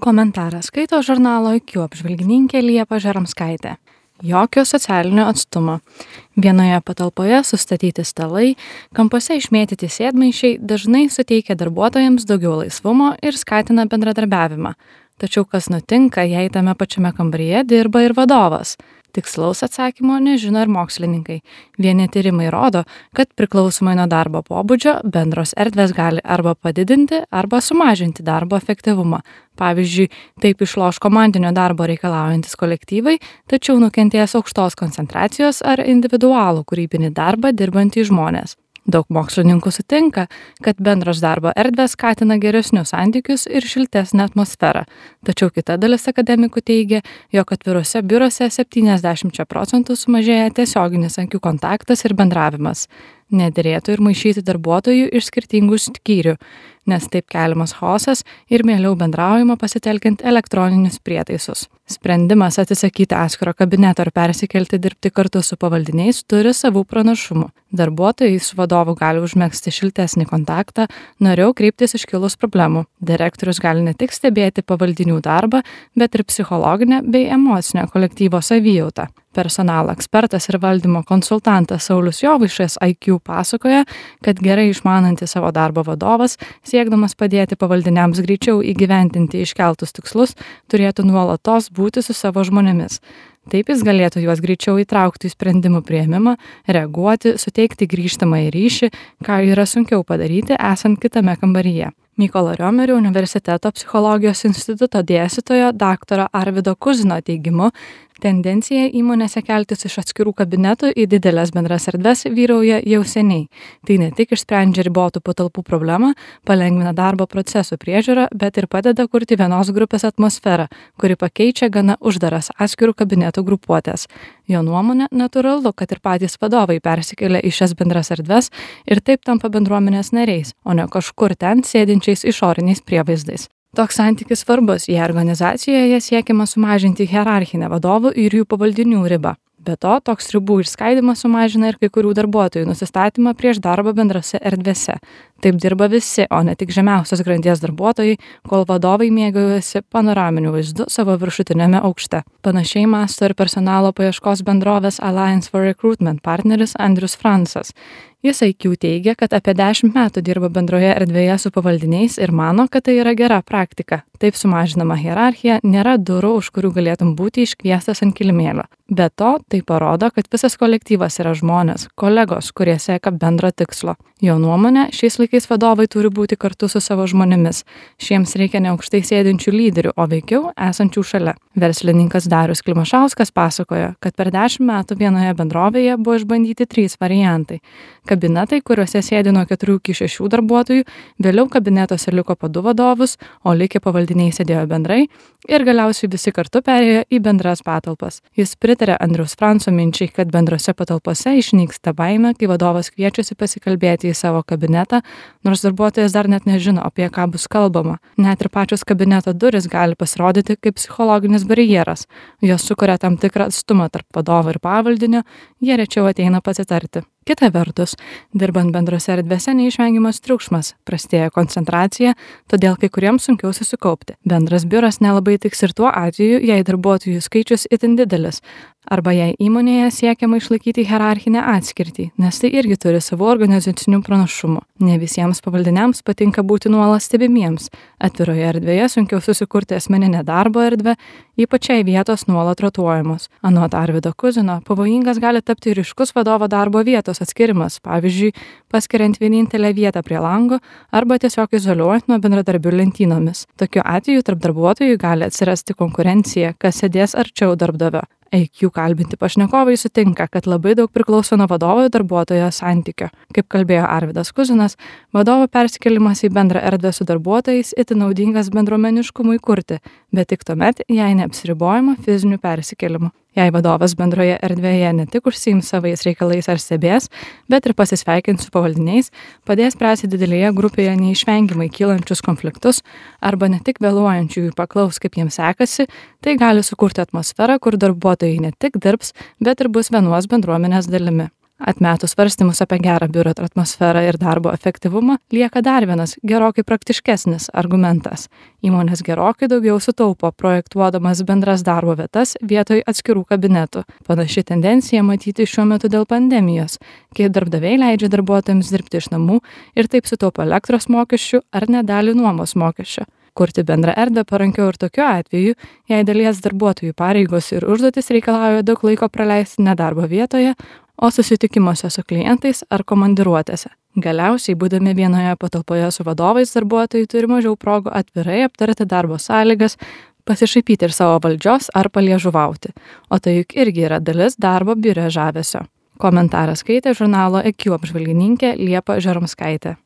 Komentarą skaito žurnalo IQ apžvalgininkė Liepa Žeromskaitė. Jokio socialinio atstumo. Vienoje patalpoje sustatyti stalai, kampuose išmėtyti sėdmaišiai dažnai suteikia darbuotojams daugiau laisvumo ir skatina bendradarbiavimą. Tačiau kas nutinka, jei tame pačiame kambaryje dirba ir vadovas? Tikslaus atsakymo nežino ir mokslininkai. Vieni tyrimai rodo, kad priklausomai nuo darbo pobūdžio bendros erdvės gali arba padidinti, arba sumažinti darbo efektyvumą. Pavyzdžiui, taip išloš komandinio darbo reikalaujantis kolektyvai, tačiau nukentės aukštos koncentracijos ar individualų kūrybinį darbą dirbantys žmonės. Daug mokslininkų sutinka, kad bendros darbo erdvės skatina geresnius santykius ir šiltesnę atmosferą. Tačiau kita dalis akademikų teigia, jog atviruose biuruose 70% sumažėja tiesioginis akių kontaktas ir bendravimas. Nederėtų ir maišyti darbuotojų iš skirtingų skyrių, nes taip keliamas chaosas ir mieliau bendraujama pasitelkiant elektroninius prietaisus. Sprendimas atsisakyti atskiro kabineto ir persikelti dirbti kartu su pavaldiniais turi savų pranašumų. Darbuotojai su vadovu gali užmegzti šiltesnį kontaktą, noriau kreiptis iškilus problemų. Direktorius gali ne tik stebėti pavaldinių darbą, bet ir psichologinę bei emocinę kolektyvo savijautą. Personalo ekspertas ir valdymo konsultantas Saulius Jovaišas IQ pasakoja, kad gerai išmanantis savo darbo vadovas, siekdamas padėti pavaldiniams greičiau įgyvendinti iškeltus tikslus, turėtų nuolatos būti su savo žmonėmis. Taip jis galėtų juos greičiau įtraukti į sprendimų priėmimą, reaguoti, suteikti grįžtamąjį ryšį, ką yra sunkiau padaryti esant kitame kambaryje. Mykolo Riomerio universiteto psichologijos instituto dėstytojo dr. Arvydo Kuzino teigimu, tendencija įmonėse keltis iš atskirų kabinetų į didelės bendras erdves vyrauja jau seniai. Tai ne tik išsprendžia ribotų patalpų problemą, palengvina darbo procesų priežiūrą, bet ir padeda kurti vienos grupės atmosferą, kuri pakeičia gana uždaras atskirų kabinetų grupuotės. Jo nuomonė, natūralu, kad ir patys vadovai persikelia į šias bendras erdves ir taip tampa bendruomenės nariais, o ne kažkur ten sėdinčiais išoriniais prievaizdais. Toks santykis svarbus, jei organizacijoje siekiama sumažinti hierarchinę vadovų ir jų pavaldinių ribą. Be to, toks ribų išskaidimas sumažina ir kai kurių darbuotojų nusistatymą prieš darbą bendrase erdvėse. Taip dirba visi, o ne tik žemiausios grandies darbuotojai, kol vadovai mėgaujasi panoraminiu vaizdu savo viršutinėme aukšte. Panašiai mąsto ir personalo paieškos bendrovės Alliance for Recruitment partneris Andrius Fransas. Jis IQ teigia, kad apie 10 metų dirba bendroje erdvėje su pavaldiniais ir mano, kad tai yra gera praktika. Taip sumažinama hierarchija, nėra durų, už kurių galėtum būti iškviestas ant kilimėlio. Be to, tai parodo, kad visas kolektyvas yra žmonės, kolegos, kurie sieka bendro tikslo. Jo nuomonė, šiais laikais vadovai turi būti kartu su savo žmonėmis. Šiems reikia ne aukštai sėdinčių lyderių, o veikiau esančių šalia. Verslininkas Darius Klimašauskas pasakojo, kad per 10 metų vienoje bendrovėje buvo išbandyti 3 variantai. Kabinetai, kuriuose sėdi nuo 4 iki 6 darbuotojų, vėliau kabinetuose liko po 2 vadovus, o likę pavaldiniai sėdėjo bendrai ir galiausiai visi kartu perėjo į bendras patalpas. Jis pritarė Andriaus Franco minčiai, kad bendrose patalpose išnyksta baimė, kai vadovas kviečiasi pasikalbėti į savo kabinetą, nors darbuotojas dar net nežino, apie ką bus kalbama. Net ir pačios kabineto durys gali pasirodyti kaip psichologinis barjeras. Jos sukuria tam tikrą atstumą tarp vadovo ir pavaldinio, jie rečiau ateina pasitarti. Kita vertus, dirbant bendrose erdvėse neišvengiamas triukšmas, prastėja koncentracija, todėl kai kuriems sunkiau susikaupti. Bendras biuras nelabai tiks ir tuo atveju, jei darbuotojų skaičius itin didelis, arba jei įmonėje siekiama išlaikyti hierarchinę atskirtį, nes tai irgi turi savo organizacinių pranašumų. Ne visiems pavaldiniams patinka būti nuolat stebimiems. Atviroje erdvėje sunkiau susikurti asmeninę darbo erdvę, ypač jei vietos nuolat rotuojamos. Anot Arvydo Kuzino, pavojingas gali tapti ryškus vadovo darbo vietos atskirimas, pavyzdžiui, paskiriant vienintelę vietą prie lango arba tiesiog izoliuojant nuo bendradarbių lentynomis. Tokiu atveju tarp darbuotojų gali atsirasti konkurencija, kas sėdės arčiau darbdavio. IQ kalbinti pašnekovai sutinka, kad labai daug priklauso nuo vadovo ir darbuotojo santykio. Kaip kalbėjo Arvydas Kuzinas, vadovo persikėlimas į bendrą erdvę su darbuotojais itin naudingas bendruomeniškumui kurti, bet tik tuomet, jei neapsiribojama fiziniu persikėlimu. Jei vadovas bendroje erdvėje ne tik užsiims savais reikalais ar stebės, bet ir pasisveikins su pavaldiniais, padės spręsti didelėje grupėje neišvengiamai kylančius konfliktus arba ne tik vėluojančiųjų paklaus, kaip jiems sekasi, tai gali sukurti atmosferą, kur darbuotojai ne tik dirbs, bet ir bus vienos bendruomenės dalimi. Atmetus svarstymus apie gerą biuro atmosferą ir darbo efektyvumą, lieka dar vienas gerokai praktiškesnis argumentas. Įmonės gerokai daugiau sutaupo projektuodamas bendras darbo vietas vietoj atskirų kabinetų. Panaši tendencija matyti šiuo metu dėl pandemijos, kai darbdaviai leidžia darbuotojams dirbti iš namų ir taip sutaupo elektros mokesčių ar net dalį nuomos mokesčio. Kurti bendrą erdvę parankiau ir tokiu atveju, jei dalies darbuotojų pareigos ir užduotis reikalauja daug laiko praleisti ne darbo vietoje, o susitikimuose su klientais ar komandiruotėse. Galiausiai, būdami vienoje patalpoje su vadovais, darbuotojai turi mažiau progų atvirai aptarti darbo sąlygas, pasišaipyti ir savo valdžios ar paliežuvauti. O tai juk irgi yra dalis darbo biure žavesio. Komentarą skaitė žurnalo EQ apžvalgininkė Liepa Žeromskaitė.